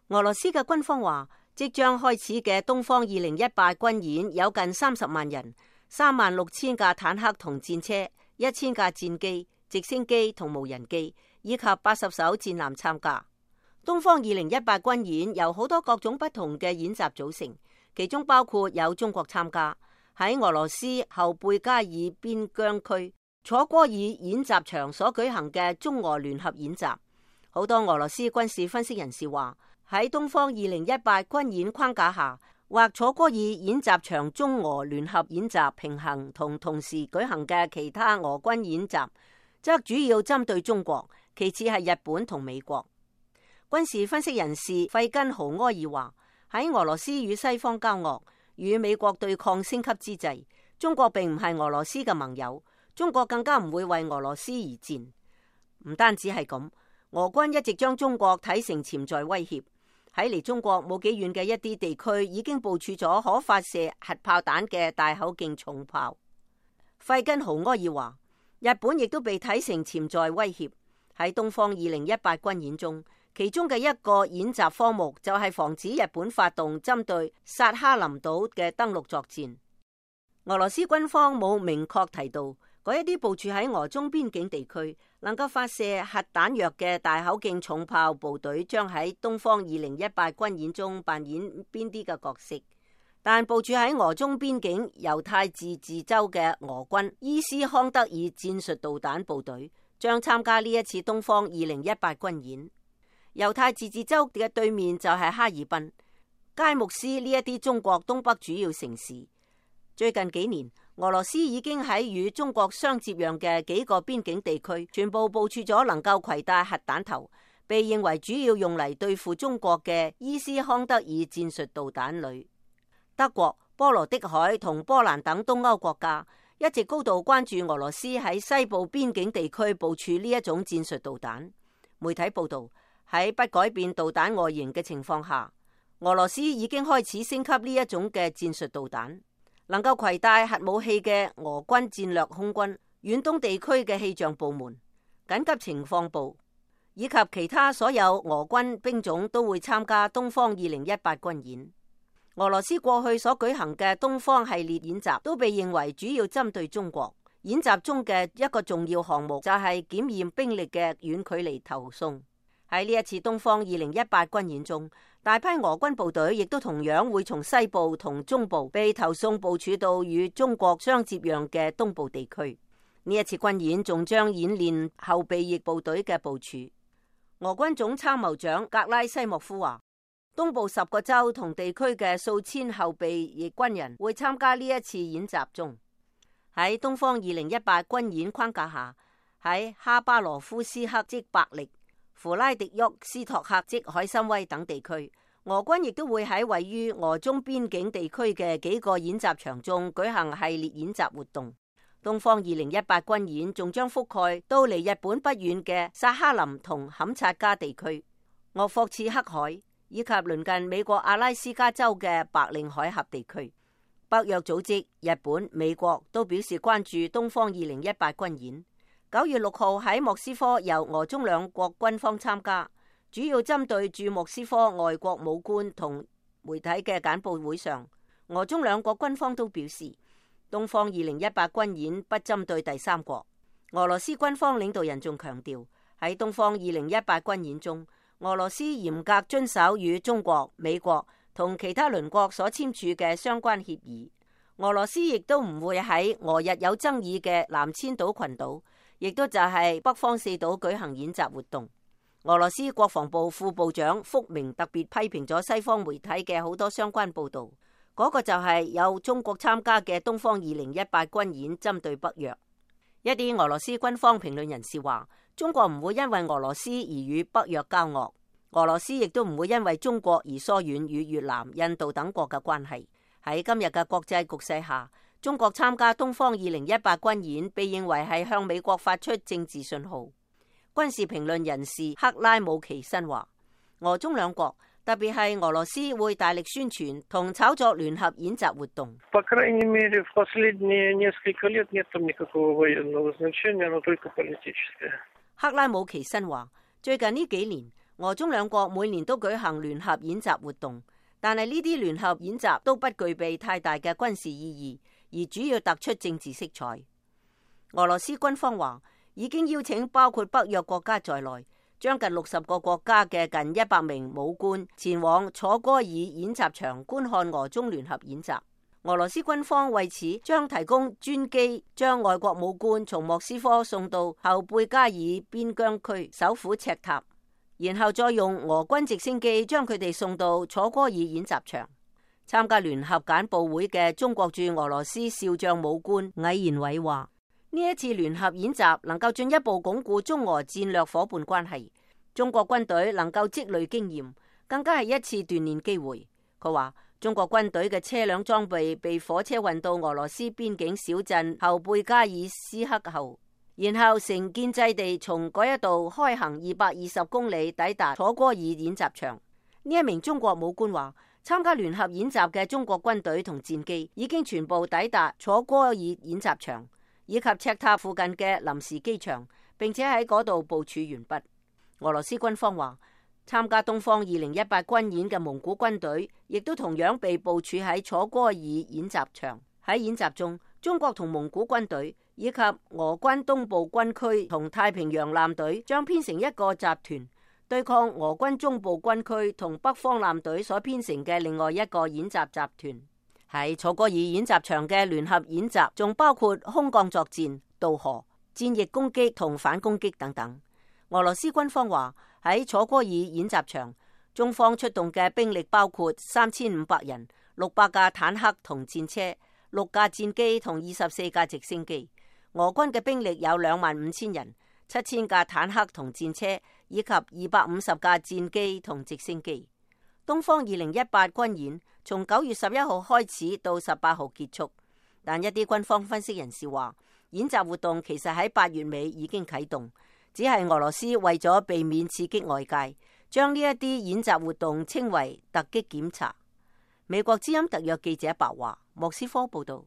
俄羅斯嘅軍方話，即將開始嘅東方2018軍演有近30萬人，36000架坦克同戰車，1000架戰機、直升機同無人機，以及80艘戰艦參加。東方2018軍演由好多各種不同嘅演習組成，其中包括有中國參加。喺俄羅斯後貝加爾邊疆區楚戈爾演習場所舉行嘅中俄聯合演習。好多俄羅斯軍事分析人士話，喺東方2018軍演框架下，或楚戈爾演習場中俄聯合演習平衡同同時舉行嘅其他俄軍演習，則主要針對中國，其次係日本同美國。軍事分析人士費根豪埃爾話，喺俄羅斯與西方交惡、與美國對抗升級之際，中國並唔係俄羅斯嘅盟友，中國更加唔會為俄羅斯而戰。唔單止係咁，俄軍一直將中國睇成潛在威脅，喺離中國冇幾遠嘅一啲地區已經部署咗可發射核炮彈嘅大口徑重炮。費根豪埃爾話，日本亦都被睇成潛在威脅。喺東方2018軍演中，其中嘅一個演習科目就係防止日本發動針對薩哈林島嘅登陸作戰。俄羅斯軍方冇明確提到嗰一啲部署喺俄中邊境地區能夠發射核彈藥嘅大口徑重炮部隊將喺東方2018軍演中扮演邊啲嘅角色，但部署喺俄中邊境猶太自治州嘅俄軍伊斯康德爾戰術導彈部隊將參加呢一次東方2018軍演。猶太自治州嘅對面就係哈爾濱、佳木斯呢一啲中國東北主要城市。最近幾年，俄羅斯已經喺與中國相接壤嘅幾個邊境地區全部部署咗能夠攜帶核彈頭，被認為主要用嚟對付中國嘅伊斯康德爾戰術導彈旅。德國、波羅的海同波蘭等東歐國家一直高度關注俄羅斯喺西部邊境地區部署呢一種戰術導彈。媒體報道，喺不改變導彈外形嘅情況下，俄羅斯已經開始升級呢一種嘅戰術導彈。能夠攜帶核武器嘅俄軍戰略空軍、遠東地區嘅氣象部門、緊急情況部以及其他所有俄軍兵種都會參加東方2018軍演。俄羅斯過去所舉行嘅東方系列演習都被認為主要針對中國。演習中嘅一個重要項目就係檢驗兵力嘅遠距離投送。喺呢一次東方2018軍演中，大批俄軍部隊亦都同樣會從西部同中部被投送部署到與中國相接壤嘅東部地區。呢一次軍演仲將演練後備役部隊嘅部署。俄軍總參謀長格拉西莫夫話，東部10個州同地區嘅數千後備役軍人會參加呢一次演習中。喺東方2018軍演框架下，喺哈巴羅夫斯克即伯力、弗拉迪沃斯托克即海參崴等地區，俄軍亦都會喺位於俄中邊境地區嘅幾個演習場中舉行系列演習活動。東方2018軍演仲將覆蓋到離日本不遠嘅薩哈林同坎察加地區、鄂霍次克海以及鄰近美國阿拉斯加州嘅白令海峽地區。北約組織、日本、美國都表示關注東方2018軍演。9月6號喺莫斯科由俄中兩國軍方參加，主要針對駐莫斯科外國武官同媒體嘅簡報會上，俄中兩國軍方都表示，東方2018軍演不針對第三國。俄羅斯軍方領導人仲強調，喺東方2018軍演中，俄羅斯嚴格遵守與中國、美國同其他鄰國所簽署嘅相關協議。俄羅斯亦都唔會喺俄日有爭議嘅南千島群島，亦都就係北方四島舉行演習活動。俄羅斯國防部副部長福明特別批評咗西方媒體嘅好多相關報導，嗰個就係有中國參加嘅東方2018軍演針對北約。一啲俄羅斯軍方評論人士話，中國唔會因為俄羅斯而與北約交惡，俄羅斯亦都唔會因為中國而疏遠與越南、印度等國嘅關係。喺今日嘅國際局勢下，中國參加東方2018軍演被認為係向美國發出政治信號。軍事評論人士克拉姆奇申話，俄中兩國特別係俄羅斯會大力宣傳同炒作聯合演習活動。克拉姆奇申話，最近呢幾年，俄中兩國每年都舉行聯合演習活動，但係呢啲聯合演習都不具備太大嘅軍事意義，而主要突出政治色彩。俄羅斯軍方話已經邀請包括北約國家在內，將近60個國家嘅近100名武官前往楚戈爾演習場觀看俄中聯合演習。俄羅斯軍方為此將提供專機，將外國武官從莫斯科送到後貝加爾邊疆區首府赤塔，然後再用俄軍直升機將佢哋送到楚戈爾演習場。參加聯合簡報會嘅中國駐俄羅斯少將武官魏延偉話：呢一次聯合演習能夠進一步鞏固中俄戰略夥伴關係，中國軍隊能夠積累經驗，更加係一次鍛鍊機會。佢話：中國軍隊嘅車輛裝備被火車運到俄羅斯邊境小鎮後貝加爾斯克後，然後成建制地從嗰一度開行220公里抵達楚戈爾演習場。呢一名中國武官話：參加聯合演習嘅中國軍隊同戰機已經全部抵達楚戈爾演習場以及赤塔附近嘅臨時機場，並且喺嗰度部署完畢。俄羅斯軍方話，參加東方2018軍演嘅蒙古軍隊亦都同樣被部署喺楚戈爾演習場。喺演習中，中國同蒙古軍隊以及俄軍東部軍區同太平洋艦隊將編成一個集團，對抗俄軍中部軍區同北方艦隊所編成嘅另外一個演習集團。喺楚戈爾演習場嘅聯合演習仲包括空降作戰、渡河、戰役攻擊同反攻擊等等。俄羅斯軍方話，喺楚戈爾演習場，中方出動嘅兵力包括3500人、600架坦克同戰車、6架戰機同24架直升機。俄軍嘅兵力有25000人、7000架坦克同戰車以及250架戰機同直升機。東方2018軍演從9月11號開始到18號結束，但一啲軍方分析人士話，演習活動其實喺8月尾已經啟動，只係俄羅斯為咗避免刺激外界，將呢一啲演習活動稱為突擊檢查。美國之音特約記者白華，莫斯科報道。